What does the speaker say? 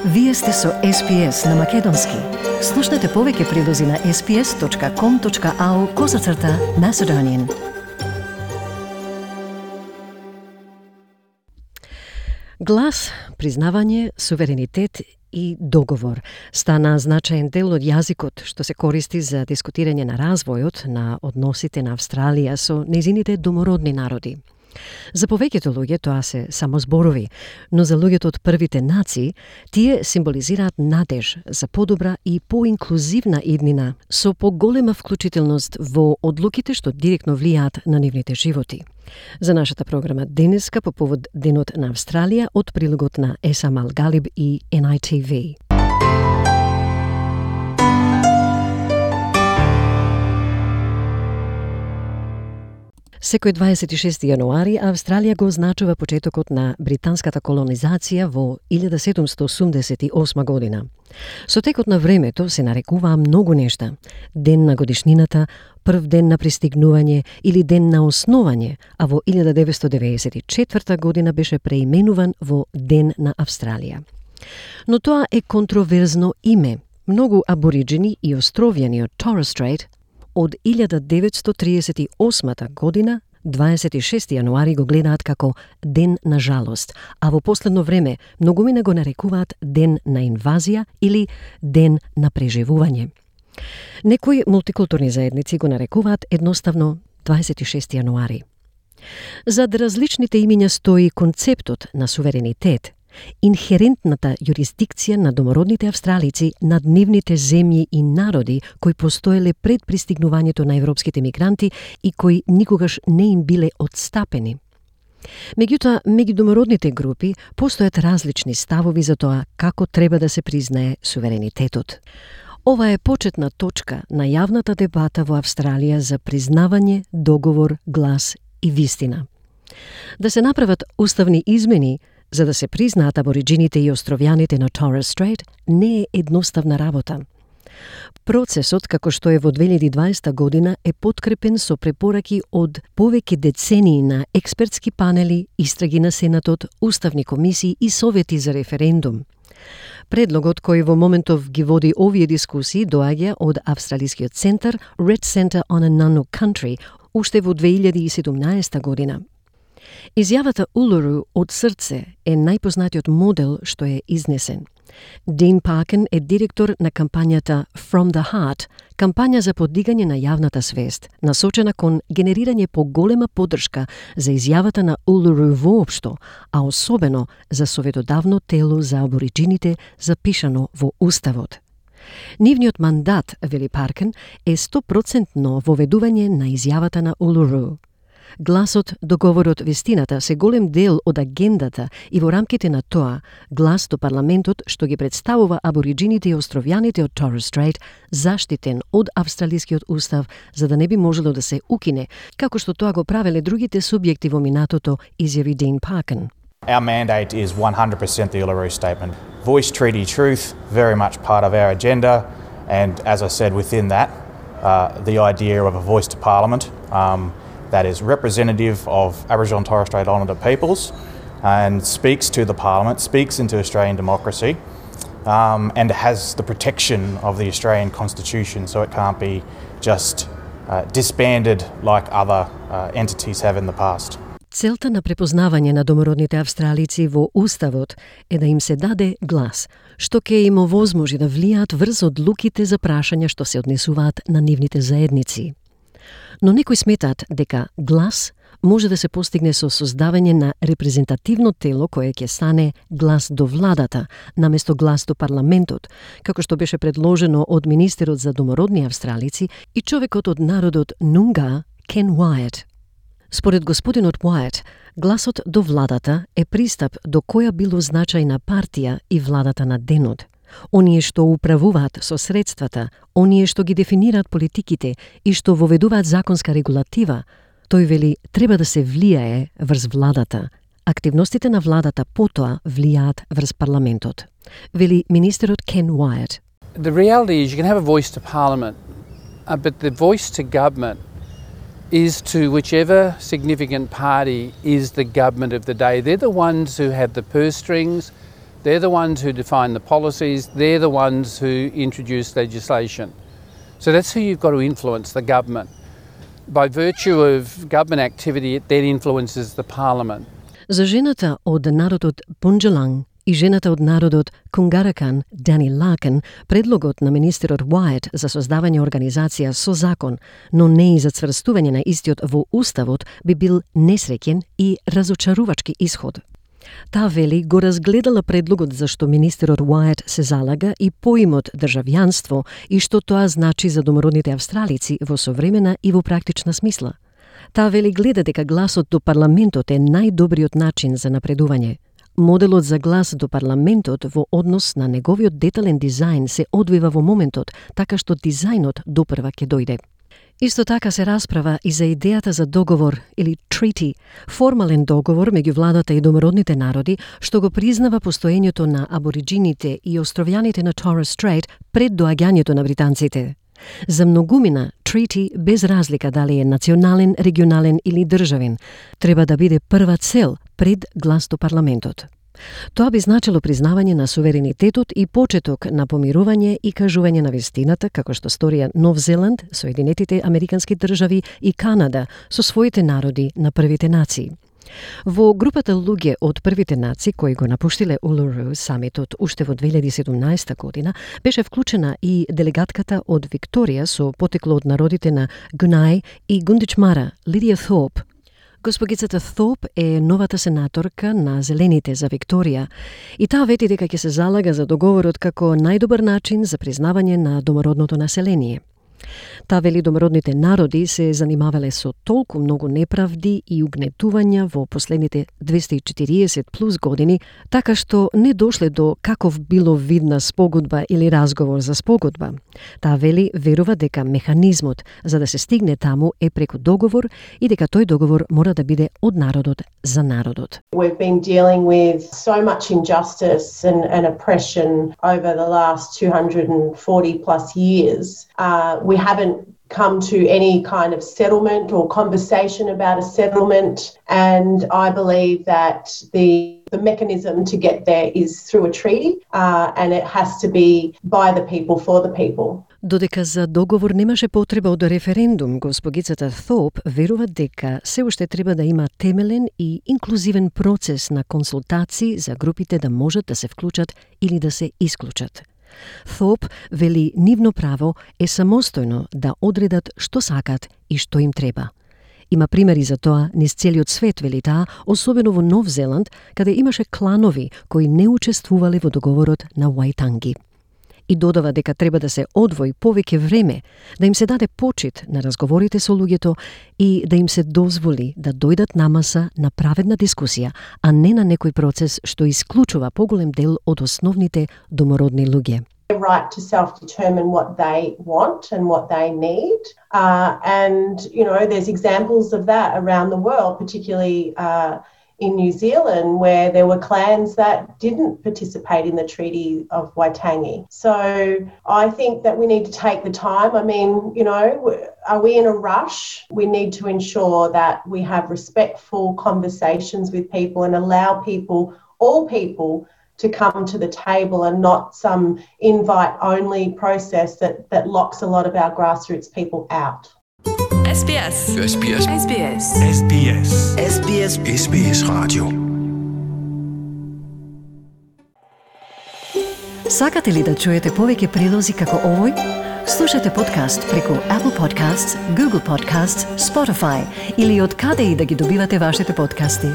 Вие сте со SPS на Македонски. Слушнете повеќе прилози на sps.com.au/Macedonian. Глас, признавање, суверенитет и договор стана значаен дел од јазикот што се користи за дискутирање на развојот на односите на Австралија со нејзините домородни народи. За повеќето луѓе тоа се само зборови, но за луѓето од првите нации тие символизираат надеж за подобра и поинклузивна иднина со поголема вклучителност во одлуките што директно влијаат на нивните животи. За нашата програма денеска по повод Денот на Австралија од прилогот на Есам Алгалиб и NITV. Секој 26 јануари Австралија го означува почетокот на британската колонизација во 1788 година. Со текот на времето се нарекуваа многу нешта: ден на годишнината, прв ден на пристигнување или ден на основање, а во 1994 година беше преименуван во Ден на Австралија. Но тоа е контроверзно име. Многу абориджини и островјани од Torres Strait од 1938 година, 26 јануари го гледаат како Ден на жалост, а во последно време многумина го нарекуваат Ден на инвазија или Ден на преживување. Некои мултикултурни заедници го нарекуваат едноставно 26 јануари. Зад различните имиња стои концептот на суверенитет, инхерентната јурисдикција на домородните австралици над нивните земји и народи кои постоеле пред пристигнувањето на европските мигранти и кои никогаш не им биле отстапени. Меѓутоа, меѓу домородните групи постојат различни ставови за тоа како треба да се признае суверенитетот. Ова е почетна точка на јавната дебата во Австралија за признавање, договор, глас и вистина. Да се направат уставни измени за да се признаат абориджините и островјаните на Torres Strait не е едноставна работа. Процесот, како што е во 2020 година, е подкрепен со препораки од повеќе децении на експертски панели, истраги на Сенатот, уставни комисии и совети за референдум. Предлогот кој во моментов ги води овие дискусии доаѓа од австралискиот центар Red Centre on Ananu Country уште во 2017 година. Изјавата Улуру од срце е најпознатиот модел што е изнесен. Дин Паркен е директор на кампањата From the Heart, кампања за подигање на јавната свест, насочена кон генерирање поголема поддршка за изјавата на Улуру воопшто, а особено за советодавно тело за абориджините запишано во Уставот. Нивниот мандат, вели Паркен, е 100% воведување на изјавата на Улуру. Гласот, договорот, вистината се голем дел од агендата и во рамките на тоа, глас до парламентот што ги представува абориджините и островјаните од Torres Strait, заштитен од австралискиот устав за да не би можело да се укине, како што тоа го правеле другите субјекти во минатото, изјави Дин Паркен. Our mandate is 100% the Uluru Statement. Voice treaty truth, very much part of our agenda, and as I said within that, the idea of a voice to Parliament, that is representative of Aboriginal and Torres Strait Islander peoples and speaks to the Parliament, speaks into Australian democracy, and has the protection of the Australian Constitution, so it can't be just disbanded like other entities have in the past. Целта на препознавање на домородните австралици во Уставот е да им се даде глас, што ќе им овозможи да влијаат врз одлуките за прашања што се однесуваат на нивните заедници. Но некои сметаат дека глас може да се постигне со создавање на репрезентативно тело кое ќе стане глас до владата, наместо глас до парламентот, како што беше предложено од министерот за домородни австралици и човекот од народот Нунга, Ken Wyatt. Според господинот Wyatt, гласот до владата е пристап до која било значајна партија и владата на денот. Оние што управуваат со средствата, оние што ги дефинираат политиките и што воведуваат законска регулатива, тој вели треба да се влијае врз владата. Активностите на владата потоа влијаат врз парламентот. Вели министерот Ken Wyatt. The reality is you can have a voice to Parliament, but the voice to government is to whichever significant party is the government of the day. They're the ones who have the purse strings, They're the ones who define the policies, they're the ones who introduce legislation. So that's who you've got to influence, the government. By virtue of government activity, it then influences the parliament. За жената од народот Бунджеланг и жената од народот Кунгаракан, Дани Лакен, предлогот на министерот Уајт за создавање организација со закон, но не и за цврстување на истиот во уставот, би бил несреќен и разочарувачки исход. Таа вели го разгледала предлогот за што министерот Уајт се залага и поимот државјанство и што тоа значи за домородните австралици во современа и во практична смисла. Таа вели гледа дека гласот до парламентот е најдобриот начин за напредување. Моделот за глас до парламентот во однос на неговиот детален дизајн се одвива во моментот, така што дизајнот допрва ќе дојде. Исто така се расправа и за идејата за договор или treaty, формален договор меѓу владата и домородните народи што го признава постоењето на абориджините и островјаните на Torres Strait пред доаѓањето на британците. За многумина, treaty, без разлика дали е национален, регионален или државен, треба да биде прва цел пред глас до парламентот. Тоа би значило признавање на суверенитетот и почеток на помирување и кажување на вистината, како што сторија Нов Зеланд, Соединетите Американски држави и Канада со своите народи на првите нации. Во групата луѓе од првите нации кои го напуштиле Улуру самитот уште во 2017 година, беше вклучена и делегатката од Викторија со потекло од народите на Гунај и Гундичмара, Лидија Thorpe. Госпогицата Thorpe е новата сенаторка на Зелените за Викторија и таа вети дека ќе се залага за договорот како најдобар начин за признавање на домородното население. Таа вели домородните народи се занимавале со толку многу неправди и угнетувања во последните 240 плюс години, така што не дошле до каков било видна спогодба или разговор за спогодба. Таа вели верува дека механизмот за да се стигне таму е преку договор и дека тој договор мора да биде од народот за народот. We've been dealing with so much injustice and oppression over the last 240 plus years. We haven't come to any kind of settlement or conversation about a settlement, and I believe that the mechanism to get there is through a treaty, and it has to be by the people for the people. Додека за договор немаше потреба од референдум, госпогицата Thorpe верува дека се уште треба да има темелен и инклузивен процес на консултации за групите да можат да се вклучат или да се исклучат. Thorpe вели нивно право е самостојно да одредат што сакат и што им треба. Има примери за тоа низ целиот свет, вели таа, особено во Нов Зеланд, каде имаше кланови кои не учествувале во договорот на Ваитанги. И додава дека треба да се одвои повеќе време, да им се даде почит на разговорите со луѓето и да им се дозволи да дојдат на маса на праведна дискусија, а не на некој процес што исклучува поголем дел од основните домородни луѓе. Right to self-determine what they want and what they need. And, you know, there's examples of that around the world, particularly in New Zealand, where there were clans that didn't participate in the Treaty of Waitangi. So I think that we need to take the time. I mean, you know, are we in a rush? We need to ensure that we have respectful conversations with people and allow people, all people, to come to the table and not some invite-only process that locks a lot of our grassroots people out. SBS. SBS. SBS. SBS. SBS. SBS Radio. Сакате ли да чуете повеќе прилози како овој? Слушате подкаст преку Apple Podcasts, Google Podcasts, Spotify или од каде и да ги добивате вашите подкасти.